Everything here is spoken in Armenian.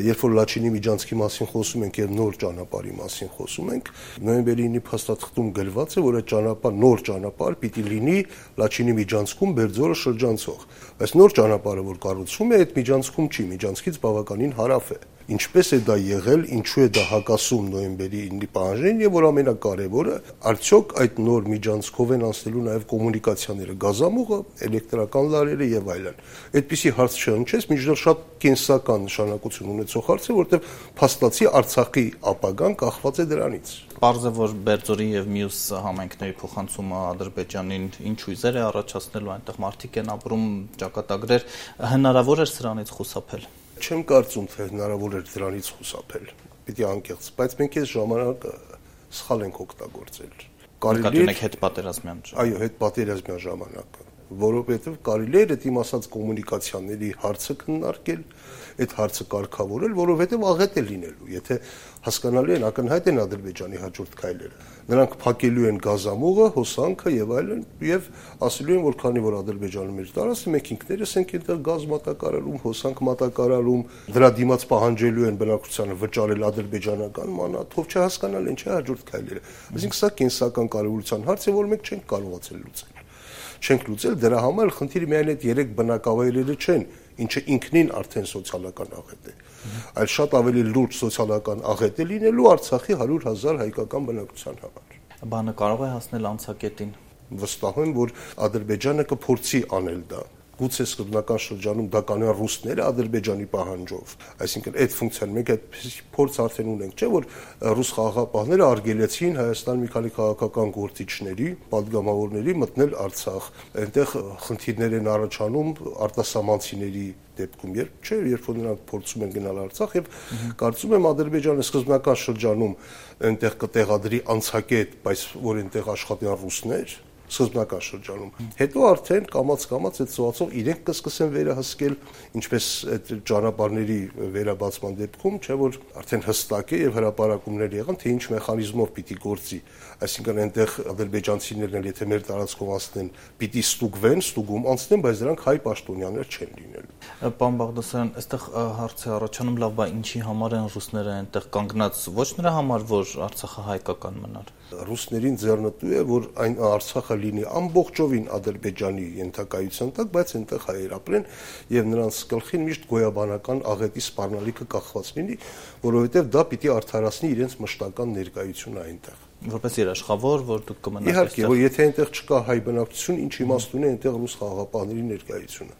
Երբ որ Լաչինի միջանցքի մասին խոսում ենք եւ նոր ճանապարհի մասին խոսում ենք, նոյեմբերի 9-ի փաստաթղթում գրված է, որ այդ նոր ճանապարհ պիտի լինի Լաչինի միջանցքում Բերձորը շրջանցող։ Այս նոր ճանապարհը, որ կառուցվում է, այդ միջանցքում չի, միջանցքից բավականին հարավ է։ Ինչպես է դա եղել, ինչու է դա հակասում նոյեմբերի 9-ի պահանջներին եւ որ ամենակարևորը, արդյոք այդ նոր միջանցքով են անցնելու նաեւ կոմունիկացիաները, գազամուղը, էլեկտրական լարերը եւ այլն։ Այդպիսի հարց չհնչեց, միջդեռ շատ կենսական նշանակություն ունեցող հարց է, որտեղ փաստացի Արցախի ապագան կախված է դրանից։ Պարզ է, որ Բերձորի եւ մյուս համայնքների փոխանցումը Ադրբեջանին ինչ հույզեր է առաջացնելու, այնտեղ մարդիկ են ապրում, ճակատագրեր, հնարավոր է սրանից խուսափել։ Չեմ կարծում, թե հնարավոր էր դրանից խուսափել։ Պիտի անկեղծ, բայց մենք այս ժամանակը սխալ ենք օգտագործել։ Կարելի է հետպատերազմյան։ Այո, հետպատերազմյան ժամանակը, որովհետև կարելի է այդ իմ ասած կոմունիկացիաների հարցը քննարկել, այդ հարցը կարգավորել, որովհետև աղետ է լինելու, եթե հասկանալի են ակնհայտ են Ադրբեջանի հաջորդ քայլերը։ Նրանք փակելու են գազամուղը, հոսանքը եւ այլն, եւ ասելու են, որ քանի որ Ադրբեջանը մեր տարածքը, մենք ինքներս ենք այնտեղ գազ մատակարարում, հոսանք մատակարարում, դրա դիմաց պահանջելու են բնակչությանը վճարել ադրբեջանական մանաթ, ով չհասկանալ են, չէ հաջորդ քայլերը։ Այսինքն սա կենսական կարևորության հարց է, որ մենք չենք կարողացել լուծել։ Չենք լուծել, դրա համար խնդիրը միայն այդ 3 բնակավայրերը չեն, ինչը ինքնին արդեն սոցիալական աղետ է, այլ շատ ավելի լուրջ սոցիալական աղետ է լինելու Արցախի 100,000 հայկական բնակչության համար։ Բանը կարող է հասնել անցակետին։ Վստահ եմ, որ Ադրբեջանը կփորձի անել դա։ Գուցե սկզբնական շրջանում դա կանեն ռուսները Ադրբեջանի պահանջով, այսինքն այդ ֆունկցիան մենք այդպես փորձ արդեն ունենք, չէ՞ որ ռուս խաղաղապահները արգելեցին Հայաստան մի քանի քաղաքական գործիչների, падգամավորների մտնել Արցախ, այնտեղ խնդիրներ են առաջանում արտասահմանցիների դեպքում, երբ որ նրանք փորձում են գնալ Արցախ եւ կարծում եմ Ադրբեջանը սկզբնական շրջանում այնտեղ կտեղադրի անցակետ, բայց որ այնտեղ աշխատեն ռուսներ սկզբնական շրջանում։ Հետո արդեն կամաց-կամաց այդ ծոացով իրենք կսկսեն վերահսկել, ինչպես այդ ճանապարհների վերաբացման դեպքում, չէ՞ որ արդեն հստակ է եւ հրապարակումներ եղան, թե ինչ մեխանիզմով պիտի գործի։ Այսինքն այնտեղ ադրբեջանցիներն էլ եթե մեր տարածքով անցնեն, պիտի ստուգվեն, ստուգում անցնեն, բայց դրանք հայ պաշտոնյաներ չեն լինելու։ Պարոն Բաղդասարյան, այստեղ հարց է առաջանում, լավ, բա ինչի համար են ռուսները այնտեղ կանգնած, ոչ նրա համար, որ Արցախը հայկական մնար։ Ռուսներին ձեռնտու է, որ այն Արցախը լինի ամբողջովին Ադրբեջանի ենթակայության տակ, բայց այնտեղ հայեր ապրեն եւ նրանց գլխին միշտ գոյաբանական աղետի սպառնալիքը կախված լինի, որովհետեւ դա պիտի արդարացնի իրենց մշտական ներկայությունը այնտեղ։ Որպես երաշխավոր, որ դուք կմնաք այստեղ։ Իհարկե, որ եթե այնտեղ չկա հայ բնակչություն, ինչ իմաստ ունի այնտեղ ռուս խաղաղապահների ներկայությունը։